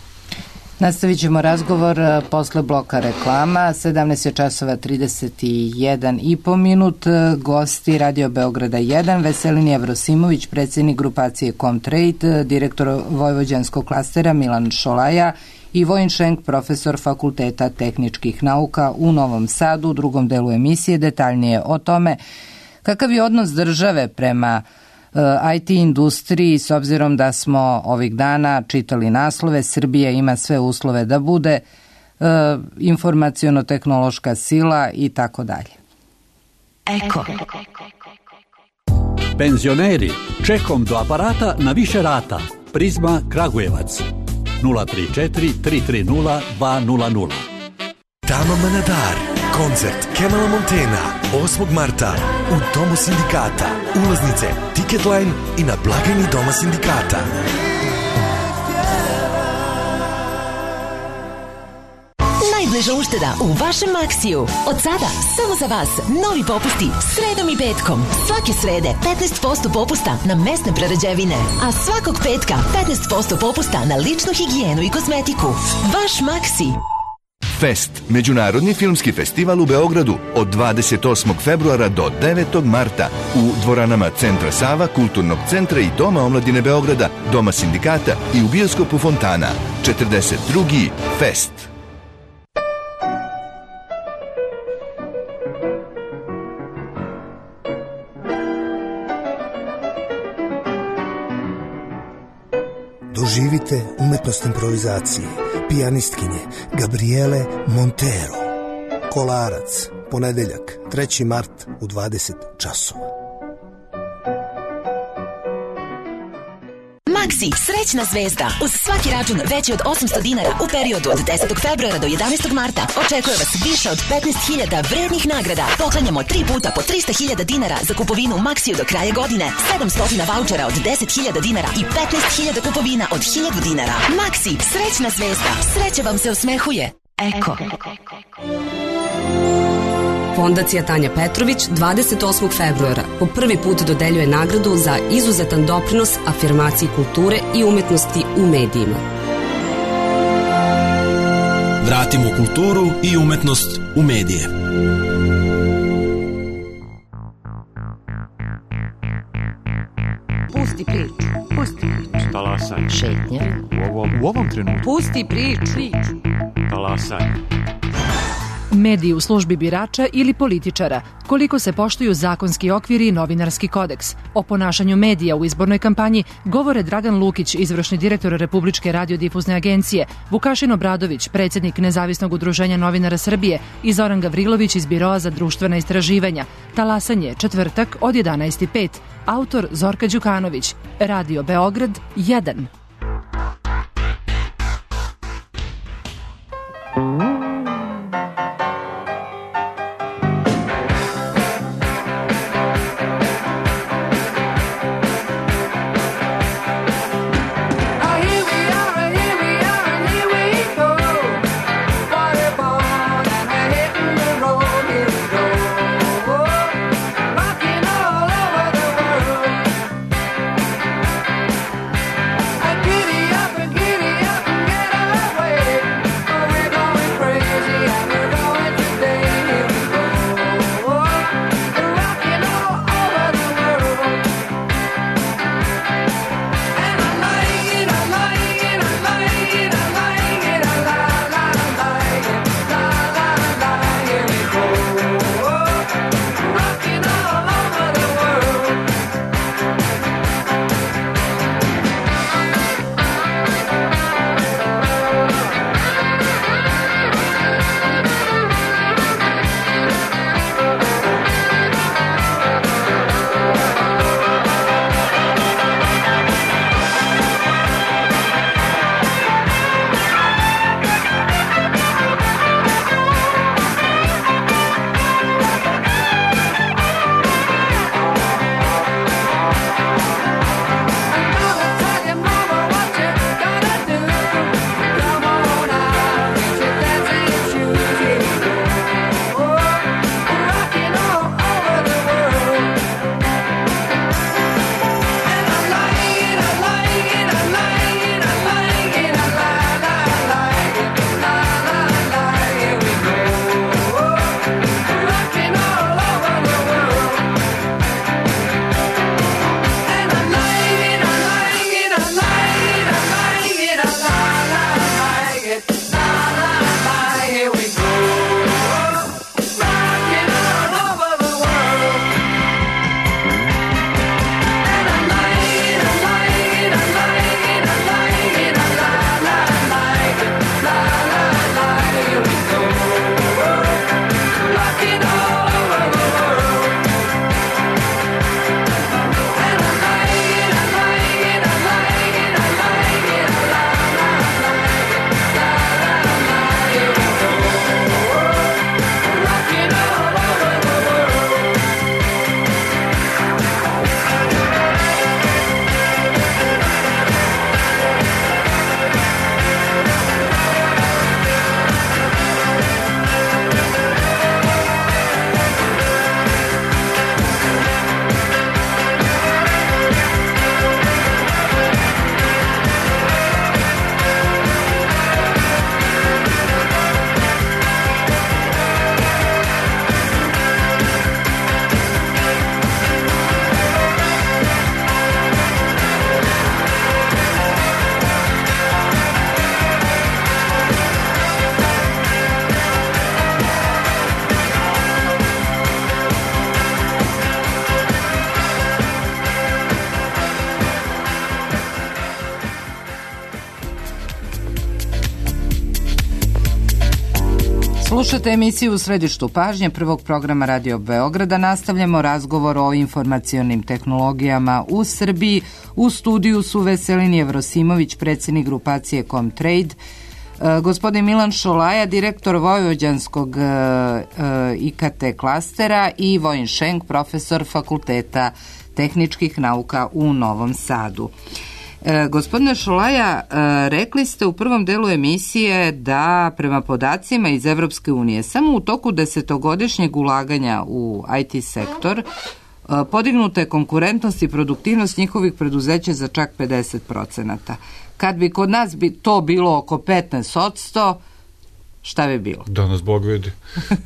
Speaker 1: Nastavit ćemo razgovor posle bloka reklama. sedamnaest je časova trideset jedan i po minut. Gosti Radio Beograda jedan, Veselin Jevrosimović, predsjednik grupacije Comtrade, direktor Vojvođanskog klastera Milan Šolaja i Vojin Šenk, profesor Fakulteta tehničkih nauka u Novom Sadu. U drugom delu emisije detaljnije o tome kakav je odnos države prema I T industriji, s obzirom da smo ovih dana čitali naslove Srbija ima sve uslove da bude e, informaciono-tehnološka sila i tako dalje.
Speaker 5: Eko. Penzioneri, čekom do aparata na više rata. Prizma Kragujevac. nula tri četiri tri tri nula dva nula nula.
Speaker 6: Tama Manadar, koncert Kemala Montena, osmog marta u Domu sindikata. Ulaznice, Ticketline i na blagajni Doma sindikata.
Speaker 7: Najbliža ušteda u vašem Maksiju. Od sada, samo za vas, novi popusti sredom i petkom. Svake srede petnaest posto popusta na mesne prerađevine, a svakog petka petnaest posto popusta na ličnu higijenu i kozmetiku. Vaš Maksi.
Speaker 6: Fest, međunarodni filmski festival u Beogradu od dvadeset osmog februara do devetog marta u dvoranama Centra Sava, Kulturnog centra i Doma omladine Beograda, Doma sindikata i u bioskopu Fontana. četrdeset drugi Fest.
Speaker 8: Doživite umetnost improvizacije pijanistkinje Gabriele Montero. Kolarac, ponedeljak, treći mart u dvadeset časova.
Speaker 7: Maksi, srećna zvezda. Uz svaki račun veći od osamsto dinara u periodu od desetog februara do jedanaestog marta očekuje vas više od petnaest hiljada vrednih nagrada. Poklanjamo tri puta po trista hiljada dinara za kupovinu u Maksiju do kraja godine, sedamsto vaučera od deset hiljada dinara i petnaest hiljada kupovina od hiljadu dinara. Maksi, srećna zvezda. Sreća vam se osmehuje. Eko.
Speaker 9: Fondacija Tanja Petrović dvadeset osmog februara po prvi put dodeljuje nagradu za izuzetan doprinos afirmaciji kulture i umetnosti u medijima.
Speaker 10: Vratimo kulturu i umetnost u medije.
Speaker 11: Pusti priču, pusti priču.
Speaker 12: Talasaj.
Speaker 11: Šetnja.
Speaker 12: U ovom, u ovom trenutku.
Speaker 11: Pusti priču.
Speaker 12: Talasaj.
Speaker 13: Mediji u službi birača ili političara, koliko se poštuju zakonski okviri i novinarski kodeks. O ponašanju medija u izbornoj kampanji govore Dragan Lukić, izvršni direktor Republičke radiodifuzne agencije, Vukašin Obradović, predsjednik Nezavisnog udruženja novinara Srbije i Zoran Gavrilović iz Biroa za društvena istraživanja. Talasanje, četvrtak od jedanaest i pet. Autor Zorka Đukanović. Radio Beograd jedan.
Speaker 14: I
Speaker 1: Slušate emisiju U središtu pažnje prvog programa Radio Beograda. Nastavljamo razgovor o informacionim tehnologijama u Srbiji. U studiju su Veselin Jevrosimović, predsjednik grupacije Comtrade, gospodin Milan Šolaja, direktor Vojvođanskog I K T klastera i Vojin Šenk, profesor Fakulteta tehničkih nauka u Novom Sadu. E, gospodine Šolaja, e, rekli ste u prvom delu emisije da prema podacima iz Evropske unije samo u toku desetogodišnjeg ulaganja u I T sektor e, podignuta je konkurentnost i produktivnost njihovih preduzeća za čak pedeset procenata. Kad bi kod nas bi to bilo oko petnaest posto, šta bi bilo?
Speaker 3: Danas Bog vidi.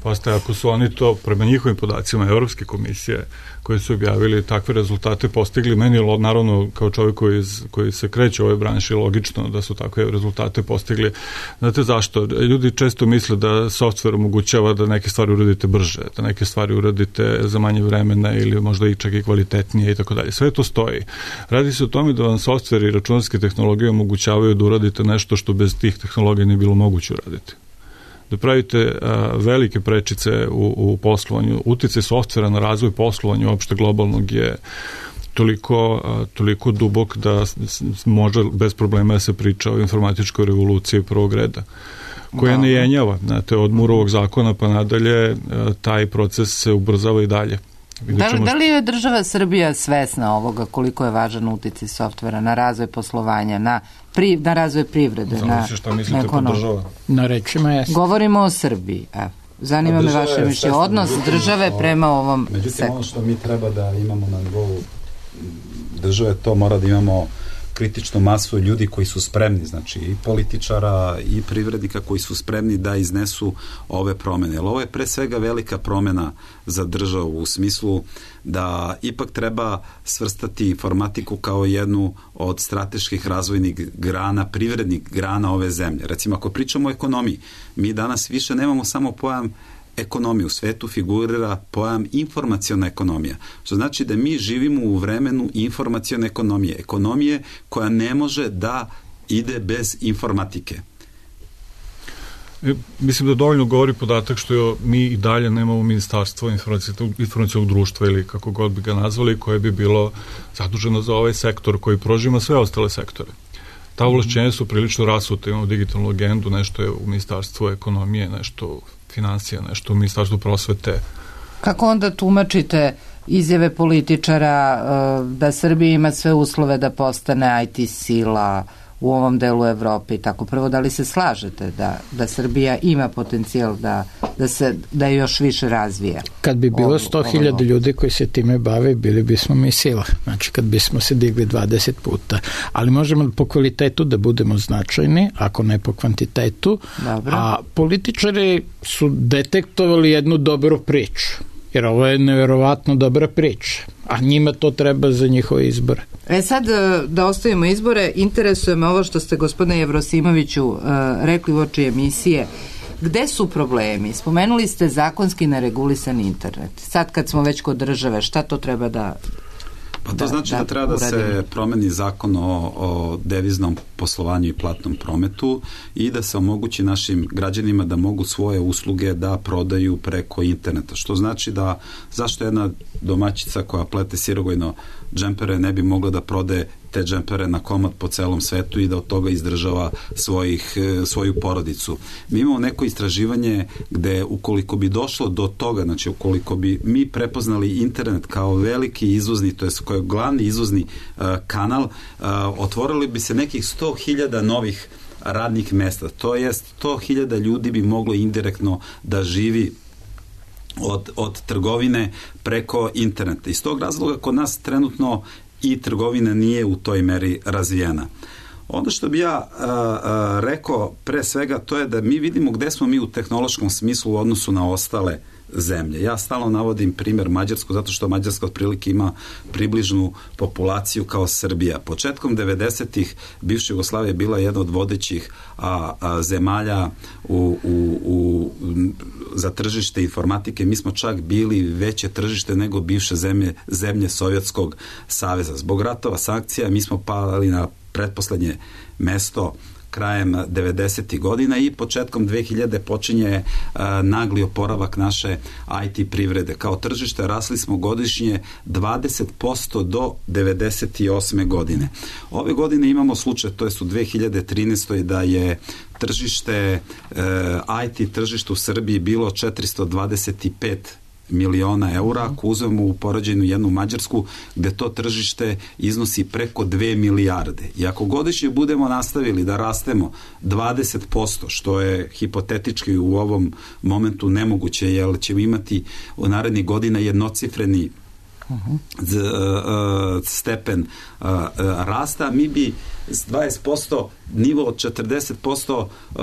Speaker 3: Postaje, ako su oni to, prema njihovim podacima Evropske komisije, koji su objavili takve rezultate, postigli, meni je naravno kao čovjek koji, koji se kreće u ovoj branši logično da su takve rezultate postigli. Znate zašto? Ljudi često misle da software omogućava da neke stvari uradite brže, da neke stvari uradite za manje vremena ili možda i čak i kvalitetnije i tako dalje. Sve to stoji. Radi se o tome da vam software i računarske tehnologije omogućavaju da uradite nešto što bez tih tehnologija nije bilo moguće uraditi. Da pravite a, velike prečice u, u poslovanju. Uticaj softvera na razvoj poslovanja uopšte globalnog je toliko, a, toliko dubok da s, može bez problema da se priča o informatičkoj revoluciji prvog reda, koja ne jenjava. Znate, od Murovog zakona pa nadalje a, taj proces se ubrzava i dalje.
Speaker 1: Da li, da li je država Srbija svesna ovoga koliko je važan uticaj softvera na razvoj poslovanja, na, pri, na razvoj privrede, na, na ekonomiju?
Speaker 4: Na rečima je.
Speaker 1: Govorimo o Srbiji. Evo. Zanima me vaše mišljenje. Odnos države prema ovom
Speaker 2: međutim,
Speaker 1: sektoru.
Speaker 2: Ono što mi treba da imamo na nivou države, to mora da imamo kritičnu masu ljudi koji su spremni, znači i političara i privrednika koji su spremni da iznesu ove promene. Jer ovo je pre svega velika promena za državu u smislu da ipak treba svrstati informatiku kao jednu od strateških razvojnih grana, privrednih grana ove zemlje. Recimo, ako pričamo o ekonomiji, mi danas više nemamo samo pojam ekonomije. U svetu figurira pojam informaciona ekonomija, što znači da mi živimo u vremenu informacione ekonomije. Ekonomije koja ne može da ide bez informatike.
Speaker 3: E, mislim da dovoljno govori podatak što mi i dalje nemamo ministarstvo informacionog društva ili kako god bi ga nazvali, koje bi bilo zaduženo za ovaj sektor koji prožima sve ostale sektore. Ta ovlašćenja su prilično rasute, imamo digitalnu agendu, nešto je u ministarstvu ekonomije, nešto u financija, nešto u ministarstvu prosvete.
Speaker 1: Kako onda tumačite izjave političara da Srbija ima sve uslove da postane I T sila u ovom delu Evrope i tako? Prvo, da li se slažete da, da Srbija ima potencijal da, da se da je još više razvija?
Speaker 4: Kad bi bilo sto hiljada ljudi koji se time bave, bili bismo mi sila. Znači, kad bismo se digli dvadeset puta. Ali možemo po kvalitetu da budemo značajni, ako ne po kvantitetu.
Speaker 1: Dobro.
Speaker 4: A političari su detektovali jednu dobru priču. Jer ovo je nevjerovatno dobra priča. A njima to treba za njihove izbore.
Speaker 1: E sad, da ostavimo izbore, interesuje me ovo što ste, gospodine Jevrosimoviću, rekli u oči emisije. Gde su problemi? Spomenuli ste zakonski neregulisan internet. Sad kad smo već kod države, šta to treba da...
Speaker 2: Pa to da, znači da, da treba da se promeni zakon o, o deviznom poslovanju i platnom prometu i da se omogući našim građanima da mogu svoje usluge da prodaju preko interneta. Što znači da zašto jedna domaćica koja plete sirogojno džempere ne bi mogla da prode te džempere na komad po celom svetu i da od toga izdržava svojih, svoju porodicu. Mi imamo neko istraživanje gde ukoliko bi došlo do toga, znači ukoliko bi mi prepoznali internet kao veliki izvozni, to je kao glavni izvozni uh, kanal, uh, otvorili bi se nekih sto hiljada novih radnih mesta. To jest sto hiljada ljudi bi moglo indirektno da živi od, od trgovine preko interneta. Iz tog razloga kod nas trenutno i trgovina nije u toj meri razvijena. Ono što bi ja a, a, rekao pre svega, to je da mi vidimo gde smo mi u tehnološkom smislu u odnosu na ostale zemlje. Ja stalno navodim primjer Mađarsku, zato što Mađarska otprilike ima približnu populaciju kao Srbija. Početkom devedesetih bivša Jugoslavija je bila jedna od vodećih a, a, zemalja u, u, u, za tržište informatike. Mi smo čak bili veće tržište nego bivše zemlje, zemlje Sovjetskog saveza. Zbog ratova, sankcija, mi smo pali na pretposlednje mesto krajem devedesetih godina i početkom dve hiljade počinje uh, nagli oporavak naše I T privrede. Kao tržište rasli smo godišnje dvadeset posto do devedeset osme godine. Ove godine imamo slučaj, to je u dve hiljade trinaestoj da je tržište, uh, I T tržište u Srbiji bilo četiristo dvadeset pet miliona eura, ako uzmemo u poređenju jednu Mađarsku, gde to tržište iznosi preko dve milijarde. I ako godišnje budemo nastavili da rastemo dvadeset posto, što je hipotetički u ovom momentu nemoguće, jer ćemo imati u narednih godina jednocifreni Uh-huh. Z, uh, stepen uh, uh, rasta, mi bi s dvadeset posto nivo od četrdeset posto uh,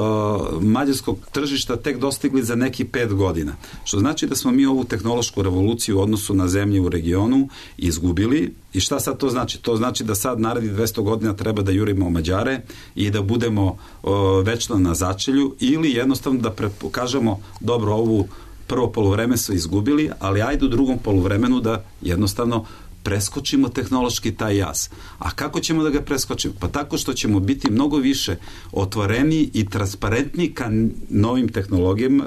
Speaker 2: mađarskog tržišta tek dostigli za neki pet godina. Što znači da smo mi ovu tehnološku revoluciju u odnosu na zemlje u regionu izgubili. I šta sad to znači? To znači da sad narednih dvesta godina treba da jurimo Mađare i da budemo uh, večno na začelju, ili jednostavno da pokažemo dobro, ovu prvo poluvreme su izgubili, ali ajde u drugom poluvremenu da jednostavno preskočimo tehnološki taj jaz. A kako ćemo da ga preskočimo? Pa tako što ćemo biti mnogo više otvoreni i transparentni ka novim tehnologijama,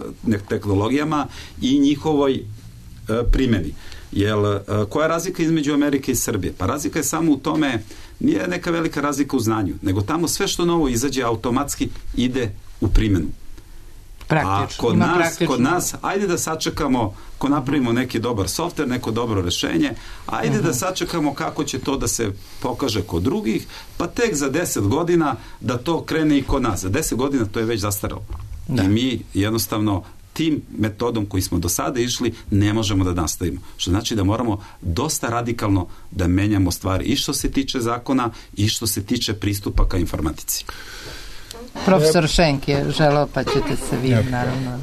Speaker 2: tehnologijama i njihovoj e, primjeni. Jel, e, koja je razlika između Amerike i Srbije? Pa razlika je samo u tome, nije neka velika razlika u znanju, nego tamo sve što novo izađe automatski ide u primjenu.
Speaker 1: Praktično.
Speaker 2: A kod nas, kod nas, ajde da sačekamo, ko napravimo neki dobar softver, neko dobro rešenje, ajde uh-huh. da sačekamo kako će to da se pokaže kod drugih, pa tek za deset godina da to krene i kod nas. Za deset godina to je već zastaralo. Da. I mi jednostavno tim metodom koji smo do sada išli ne možemo da nastavimo. Što znači da moramo dosta radikalno da menjamo stvari i što se tiče zakona i što se tiče pristupa ka informatici.
Speaker 1: Profesor Šenk je želeo, pa ćete se vi, naravno.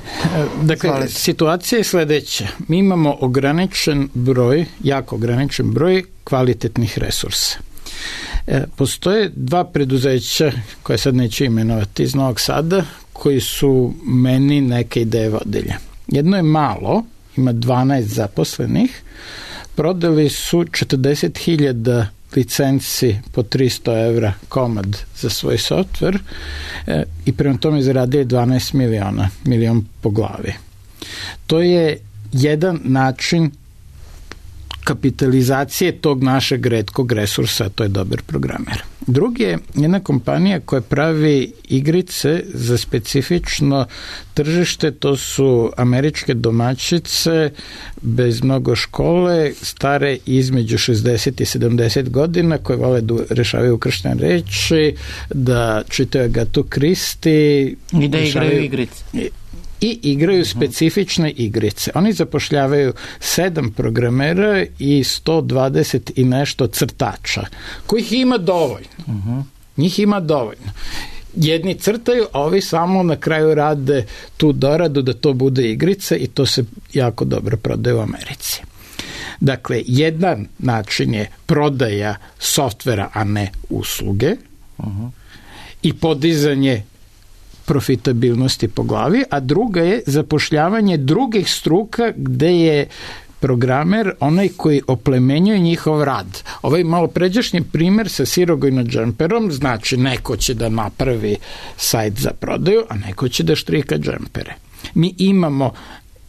Speaker 4: Dakle, Zvolite. Situacija je sledeća. Mi imamo ograničen broj, jako ograničen broj kvalitetnih resursa. E, postoje dva preduzeća, koje sad neću imenovati, iz Novog Sada, koji su meni neke ideje vodilje. Jedno je malo, ima dvanaest zaposlenih, prodali su četrdeset hiljada licenci po tristo evra komad za svoj softver e, i prema tome zaradili dvanaest miliona, milion po glavi. To je jedan način kapitalizacije tog našeg retkog resursa, to je dobar programer. Drugi je jedna kompanija koja pravi igrice za specifično tržište, to su američke domaćice bez mnogo škole, stare između šezdeset i sedamdeset godina, koje vole da rešavaju krštene reči, da čitaju Agatu Kristi
Speaker 1: i da igraju igrice.
Speaker 4: I igraju specifične igrice. Oni zapošljavaju sedam programera i sto dvadeset i nešto crtača, kojih ima dovoljno. Uh-huh. Njih ima dovoljno. Jedni crtaju, a ovi samo na kraju rade tu doradu da to bude igrica i to se jako dobro prodaje u Americi. Dakle, jedan način je prodaja softvera, a ne usluge, uh-huh. i podizanje profitabilnosti po glavi, a druga je zapošljavanje drugih struka gde je programer onaj koji oplemenjuje njihov rad. Ovaj malo pređašnji primer sa sirogojno džemperom, znači neko će da napravi sajt za prodaju, a neko će da štrika džempere. Mi imamo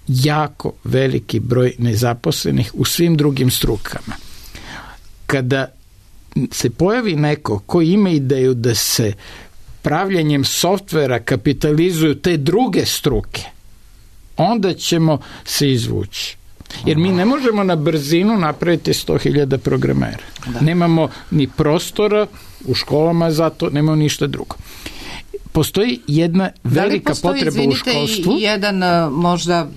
Speaker 4: jako veliki broj nezaposlenih u svim drugim strukama. Kada se pojavi neko koji ima ideju da se pravljanjem softvera kapitalizuju te druge struke, onda ćemo se izvući. Jer mi ne možemo na brzinu napraviti sto hiljada programera. Da. Nemamo ni prostora u školama za to, nemamo ništa drugo. Postoji jedna velika postoji, potreba izvinite, u školstvu.
Speaker 1: I jedan možda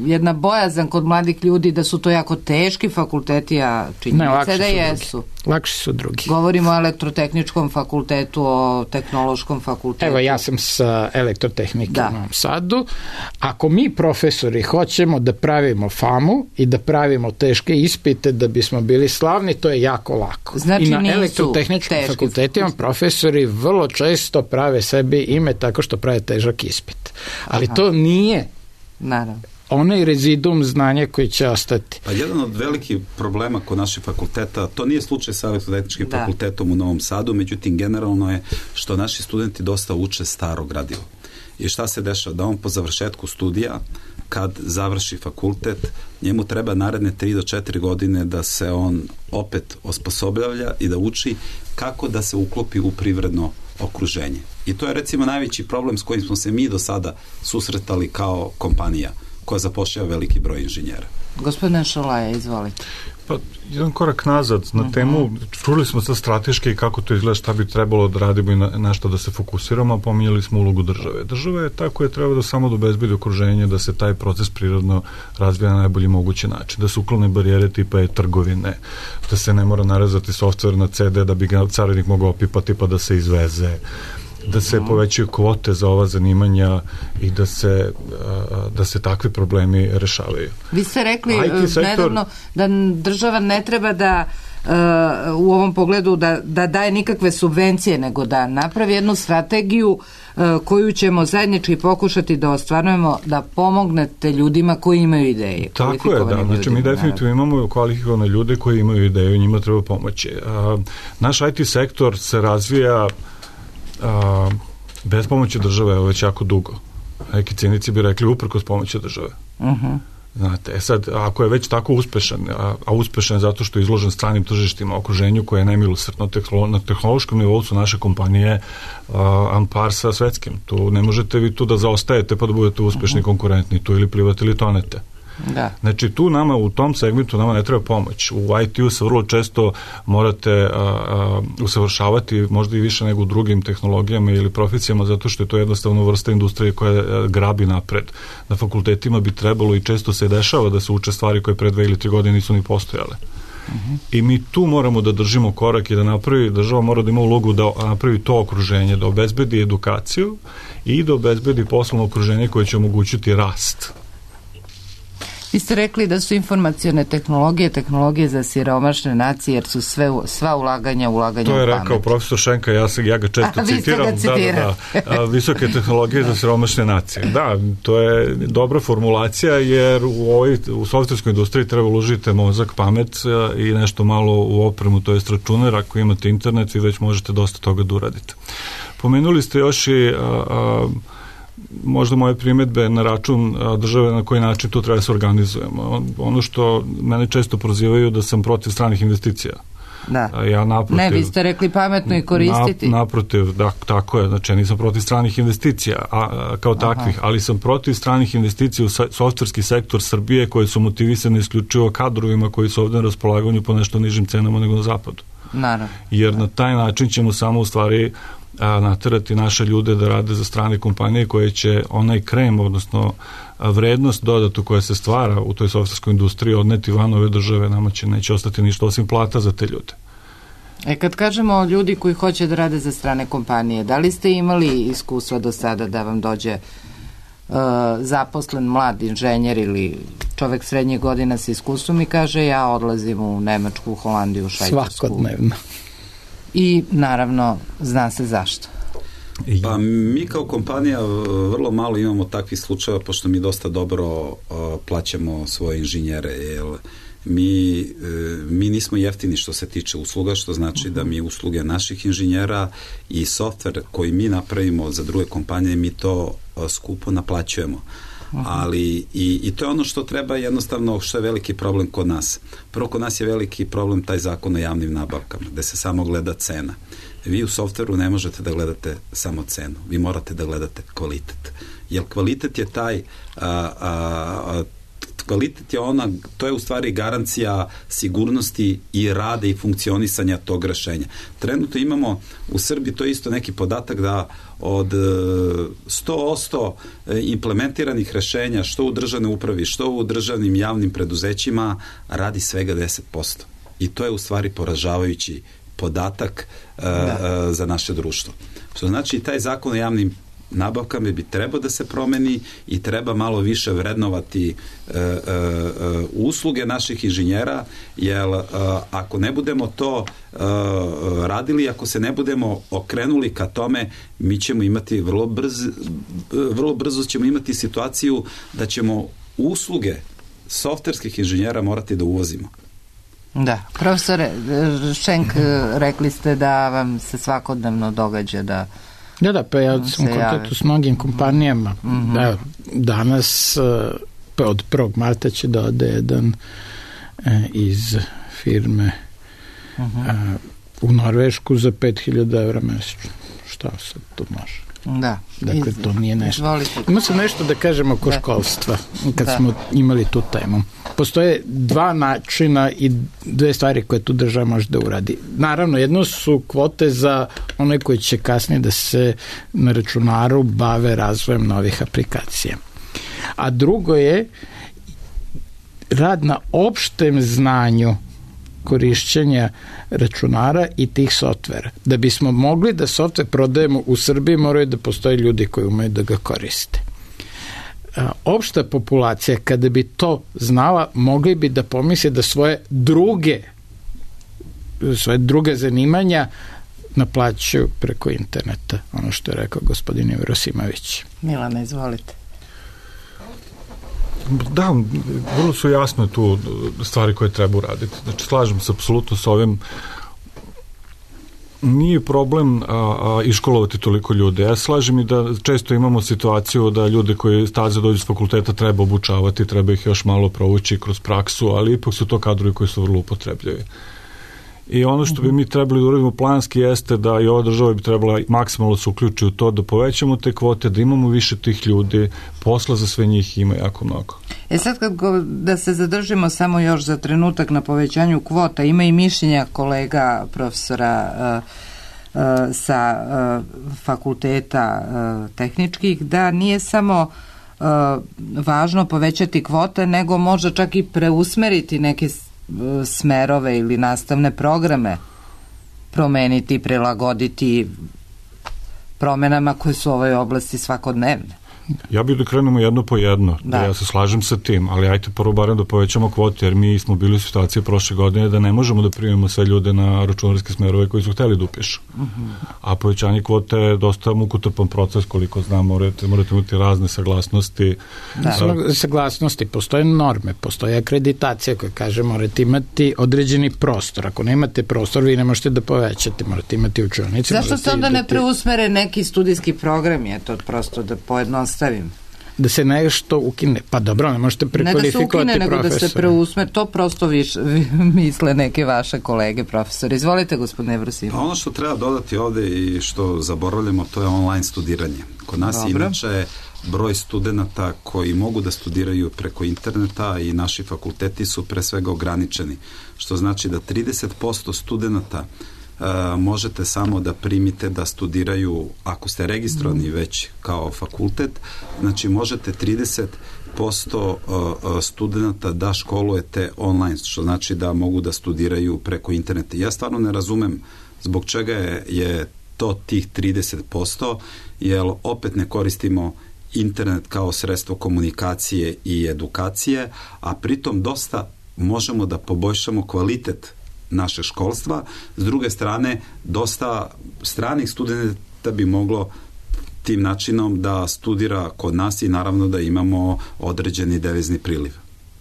Speaker 1: jedna bojazan kod mladih ljudi da su to jako teški fakulteti, a činjenice da jesu.
Speaker 4: Lakši su drugi.
Speaker 1: Govorimo o elektrotehničkom fakultetu, o tehnološkom fakultetu.
Speaker 4: Evo, ja sam sa elektrotehnike u Novom Sadu. Ako mi profesori hoćemo da pravimo famu i da pravimo teške ispite da bismo bili slavni, to je jako lako.
Speaker 1: Znači,
Speaker 4: i na elektrotehničkom fakultetima profesori vrlo često prave sebi ime tako što prave težak ispit. Ali Aha. to nije
Speaker 1: Naravno.
Speaker 4: onaj rezidum znanja koji će ostati.
Speaker 2: Pa jedan od velikih problema kod naših fakulteta, to nije slučaj sa elektrotehničkim
Speaker 1: da.
Speaker 2: fakultetom u Novom Sadu, međutim generalno je što naši studenti dosta uče staro gradivo. I šta se dešava? Da on po završetku studija, kad završi fakultet, njemu treba naredne tri do četiri godine da se on opet osposobljavlja i da uči kako da se uklopi u privredno okruženje. I to je recimo najveći problem s kojim smo se mi do sada susretali kao kompanija koja zapošljava veliki broj inženjera.
Speaker 1: Gospodine Šolaja, izvolite.
Speaker 3: Pa, jedan korak nazad na uh-huh. temu, čuli smo sad strateški kako to izgleda, šta bi trebalo da radimo i na, na što da se fokusiramo, a pominjali smo ulogu države. Država je ta koja treba da samo da obezbedi okruženje, da se taj proces prirodno razvija na najbolji mogući način, da se uklone barijere tipa e-trgovine, da se ne mora narezati softver na ce de da bi ga carinik mogao opipati pa da se izveze, da se povećaju kvote za ova zanimanja i da se, da se takvi problemi rešavaju.
Speaker 1: Vi ste rekli
Speaker 3: sektor,
Speaker 1: nedavno da država ne treba da uh, u ovom pogledu da, da daje nikakve subvencije, nego da napravi jednu strategiju uh, koju ćemo zajednički pokušati da ostvarujemo, da pomognete ljudima koji imaju ideje.
Speaker 3: Tako je, da. Znači, mi definitivno imamo kvalifikovane ljude koji imaju ideju, njima treba pomoći. Uh, naš i te sektor se razvija A, bez pomoći države je već jako dugo. Neki cinici bi rekli uprkos pomoći države.
Speaker 1: Uh-huh.
Speaker 3: Znate, e sad, ako je već tako uspešan, a, a uspešan je zato što je izložen stranim tržištima, okruženju koje je nemilosrdno, tehnolo, na tehnološkom nivou su naše kompanije a, ampar sa svetskim. Tu ne možete vi tu da zaostajete pa da budete uspešni, uh-huh. konkurentni, tu ili plivate ili tonete.
Speaker 1: Da.
Speaker 3: Znači tu nama u tom segmentu nama ne treba pomoć. U i te-u se vrlo često morate a, a, usavršavati možda i više nego u drugim tehnologijama ili profesijama zato što je to jednostavno vrsta industrije koja a, grabi napred. Na fakultetima bi trebalo i često se dešava da se uče stvari koje pre dve ili tri godine nisu ni postojale. Uh-huh. I mi tu moramo da držimo korak i da napravi, država mora da ima ulogu da napravi to okruženje, da obezbedi edukaciju i da obezbedi poslovno okruženje koje će omogućiti rast.
Speaker 1: Vi ste rekli da su informacione tehnologije, tehnologije za siromašne nacije, jer su sve, sva ulaganja, ulaganja u pamet.
Speaker 3: To je rekao profesor Šenka, ja, se, ja ga često
Speaker 1: A,
Speaker 3: citiram. Da, da, da, visoke tehnologije za siromašne nacije. Da, to je dobra formulacija, jer u, ovoj, u softverskoj industriji treba uložiti mozak, pamet i nešto malo u opremu, to je računar, ako imate internet, vi već možete dosta toga da uradite. Pomenuli ste još i a, a, možda moje primjedbe na račun države na koji način to treba da se organizujemo. Ono što mene često prozivaju da sam protiv stranih investicija.
Speaker 1: Da.
Speaker 3: Ja naprotiv,
Speaker 1: ne, vi ste rekli pametno i koristiti.
Speaker 3: Na, naprotiv, da, tako je. Znači, nisam protiv stranih investicija a, a, kao takvih, Aha. ali sam protiv stranih investicija u softverski sektor Srbije koje su motivisane isključivo kadrovima koji su ovdje na raspolaganju po nešto nižim cenama nego na zapadu.
Speaker 1: Naravno.
Speaker 3: Jer na taj način ćemo samo u stvari a, naterati naše ljude da rade za strane kompanije koje će onaj krem, odnosno a, vrednost dodatu koja se stvara u toj softverskoj industriji odneti van ove države, nama će neće ostati ništa osim plata za te ljude.
Speaker 1: E kad kažemo ljudi koji hoće da rade za strane kompanije, da li ste imali iskustva do sada da vam dođe uh, zaposlen mlad inženjer ili čovek srednjih godina sa iskustvom i kaže ja odlazim u Nemačku, Holandiju, Švajcarsku?
Speaker 4: Svakodnevno.
Speaker 1: I naravno zna se zašto.
Speaker 2: Pa mi kao kompanija vrlo malo imamo takvih slučajeva, pošto mi dosta dobro uh, plaćamo svoje inženjere, jer mi, uh, mi nismo jeftini što se tiče usluga, što znači da mi usluge naših inženjera i softver koji mi napravimo za druge kompanije, mi to uh, skupo naplaćujemo. Aha. Ali i, i to je ono što treba jednostavno, što je veliki problem kod nas. Prvo, kod nas je veliki problem taj zakon o javnim nabavkama, gde se samo gleda cena. Vi u softveru ne možete da gledate samo cenu, vi morate da gledate kvalitet. Jer kvalitet je taj a, a, a, kvalitet je ona, to je u stvari garancija sigurnosti i rada i funkcionisanja tog rešenja. Trenutno imamo u Srbiji, to je isto neki podatak da od sto posto implementiranih rešenja što u državnoj upravi, što u državnim javnim preduzećima radi svega deset posto. I to je u stvari poražavajući podatak uh, uh, za naše društvo. Što znači taj zakon o javnim nabavkama bi trebao da se promeni i treba malo više vrednovati uh, uh, usluge naših inženjera, jer uh, ako ne budemo to uh, radili, ako se ne budemo okrenuli ka tome, mi ćemo imati vrlo brzo, vrlo brzo ćemo imati situaciju da ćemo usluge softverskih inženjera morati da uvozimo.
Speaker 1: Da, profesore Šenk, rekli ste da vam se svakodnevno događa da
Speaker 4: Da, da, pa ja sam u kontaktu s mnogim kompanijama. Mm-hmm. Da, danas pa od prvog marta će da ode jedan e, iz firme mm-hmm. e, u Norvešku za pet hiljada evra mesečno. Šta sad to može?
Speaker 1: Da.
Speaker 4: Dakle, to nije nešto.
Speaker 1: Izvolite.
Speaker 4: Ima se nešto da kažemo oko da. školstva, kad da. smo imali tu temu. Postoje dva načina i dve stvari koje tu država može da uradi. Naravno, jedno su kvote za one koji će kasnije da se na računaru bave razvojem novih aplikacija. A drugo je rad na opštem znanju korišćenja računara i tih softvera. Da bismo mogli da softver prodajemo u Srbiji, moraju da postoje ljudi koji umeju da ga koriste. Opšta populacija, kada bi to znala, mogli bi da pomisle da svoje druge svoje druge zanimanja naplaćuju preko interneta. Ono što je rekao gospodin Jevrosimović.
Speaker 1: Milana, izvolite.
Speaker 3: Da, vrlo su jasne tu stvari koje treba uraditi. Znači, slažem se apsolutno s ovim. Nije problem a, a, iškolovati toliko ljude. Ja slažem i da često imamo situaciju da ljude koji staze dođu s fakulteta treba obučavati, treba ih još malo provući kroz praksu, ali ipak su to kadrovi koji su vrlo upotrebljivi. I ono što bi mi trebali da uradimo planski jeste da i ova država bi trebala maksimalno se uključi u to, da povećamo te kvote, da imamo više tih ljudi, posla za sve njih ima jako mnogo.
Speaker 1: E sad kad go, da se zadržimo samo još za trenutak na povećanju kvota, ima i mišljenja kolega profesora uh, uh, sa uh, fakulteta uh, tehničkih, da nije samo uh, važno povećati kvote, nego možda čak i preusmeriti neke smerove ili nastavne programe, promeniti, prilagoditi promenama koje su u ovoj oblasti svakodnevne.
Speaker 3: Ja bih da krenemo jedno po jedno, da. da ja se slažem sa tim, ali ajte prvo barem da povećamo kvote, jer mi smo bili u situaciji prošle godine da ne možemo da primimo sve ljude na računarske smerove koji su hteli da upišu. Uh-huh. A povećanje kvote je dosta mukotrpan proces, koliko znam, morate, morate imati razne saglasnosti.
Speaker 4: Da. A, saglasnosti, postoje norme, postoje akreditacija koja kaže morate imati određeni prostor. Ako nemate prostor, vi ne možete da povećate, morate imati učionice.
Speaker 1: Zašto se onda ne preusmere neki studijski program, je to prosto da pojednostavimo? Stavim.
Speaker 4: Da se nešto ukine. Pa dobro, ne možete prekvalifikovati profesora.
Speaker 1: Ne da se ukine, nego da se preusme. To prosto više misle neke vaše kolege profesori. Izvolite, gospodine Jevrosimović.
Speaker 2: Ono što treba dodati ovde i što zaboravljamo, to je online studiranje. Kod nas dobro. Inače broj studenta koji mogu da studiraju preko interneta i naši fakulteti su pre svega ograničeni. Što znači da trideset posto studenta Uh, možete samo da primite da studiraju, ako ste registrovani već kao fakultet, znači možete trideset posto uh, studenta da školujete online, što znači da mogu da studiraju preko interneta. Ja stvarno ne razumem zbog čega je, je to tih trideset posto, jer opet ne koristimo internet kao sredstvo komunikacije i edukacije, a pritom dosta možemo da poboljšamo kvalitet naše školstva. S druge strane, dosta stranih studenta bi moglo tim načinom da studira kod nas i naravno da imamo određeni devizni priliv.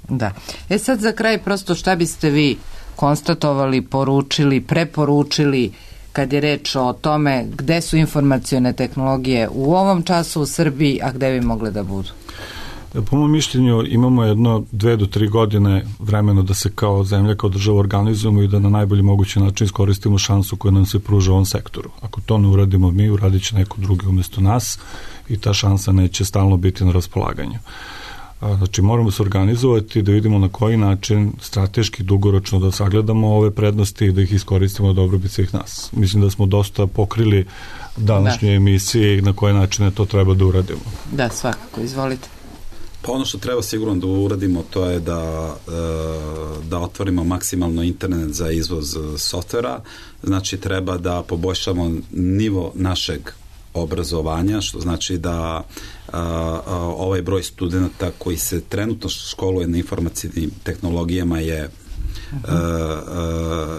Speaker 1: Da. E sad za kraj prosto šta biste vi konstatovali, poručili, preporučili kad je reč o tome gde su informacione tehnologije u ovom času u Srbiji, a gde bi mogle da budu?
Speaker 3: Po mojom mišljenju imamo jedno dve do tri godine vremena da se kao zemlja, kao država organizujemo i da na najbolji mogući način iskoristimo šansu koja nam se pruža u ovom sektoru. Ako to ne uradimo mi, uradit će neko drugi umjesto nas i ta šansa neće stalno biti na raspolaganju. Znači moramo se organizovati da vidimo na koji način strateški dugoročno da sagledamo ove prednosti i da ih iskoristimo dobrobit svih nas. Mislim da smo dosta pokrili današnje da. emisije i na koje načine to treba da uradimo.
Speaker 1: Da, svakako, izvolite.
Speaker 2: Pa ono što treba sigurno da uradimo to je da, da otvorimo maksimalno internet za izvoz softvera, znači treba da poboljšamo nivo našeg obrazovanja, što znači da a, a, ovaj broj studenta koji se trenutno školuje na informacijnim tehnologijama je uh,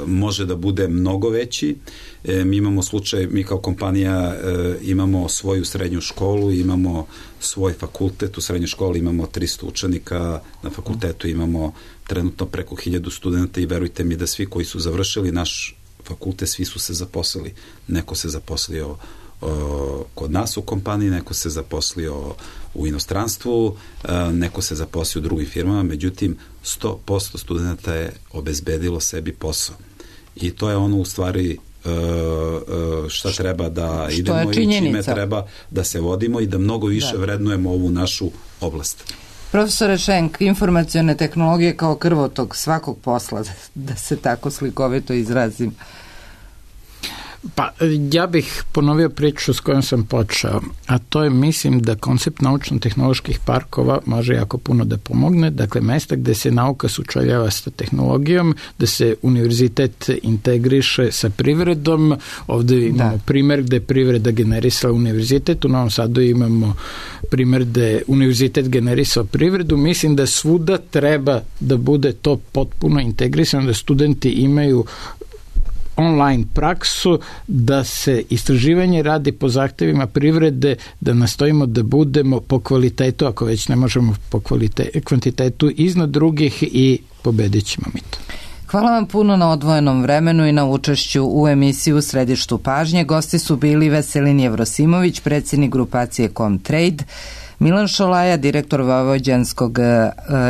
Speaker 2: može da bude mnogo veći. E, mi imamo slučaj, mi kao kompanija e, imamo svoju srednju školu, imamo svoj fakultet, u srednjoj školi imamo tristo učenika, na fakultetu imamo trenutno preko hiljadu studenta i verujte mi da svi koji su završili naš fakultet, svi su se zaposlili. Neko se zaposlio o, kod nas u kompaniji, neko se zaposlio u inostranstvu, a, neko se zaposlio u drugim firmama, međutim sto posto studenta je obezbedilo sebi posao. I to je ono u stvari šta treba da idemo i čime treba da se vodimo i da mnogo više da. vrednujemo ovu našu oblast.
Speaker 1: Profesore Šenk, informacione tehnologije kao krvotok svakog posla, da se tako slikovito izrazim.
Speaker 4: Pa ja bih ponovio priču s kojom sam počeo, a to je, mislim da koncept naučno-tehnoloških parkova može jako puno da pomogne, dakle mesta gde se nauka sučeljava sa tehnologijom, da se univerzitet integriše sa privredom, ovde imamo da. primer gde privreda generisala univerzitet, u Novom Sadu imamo primer gde univerzitet generisao privredu, mislim da svuda treba da bude to potpuno integrisano, da studenti imaju online praksu, da se istraživanje radi po zahtevima privrede, da nastojimo da budemo po kvalitetu, ako već ne možemo po kvalitete, kvantitetu, iznad drugih i pobedit ćemo mi to.
Speaker 1: Hvala vam puno na odvojenom vremenu i na učešću u emisiji U središtu pažnje. Gosti su bili Veselin Jevrosimović, predsjednik grupacije Comtrade, Milan Šolaja, direktor Vojvođanskog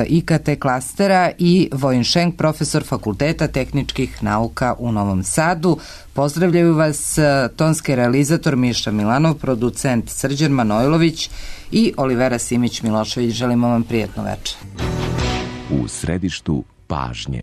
Speaker 1: I K T klastera i Vojin Šenk, profesor Fakulteta tehničkih nauka u Novom Sadu. Pozdravljaju vas tonski realizator Miša Milanov, producent Srđan Manojlović i Olivera Simić-Milošević. Želimo vam prijetno večer.
Speaker 14: U središtu pažnje.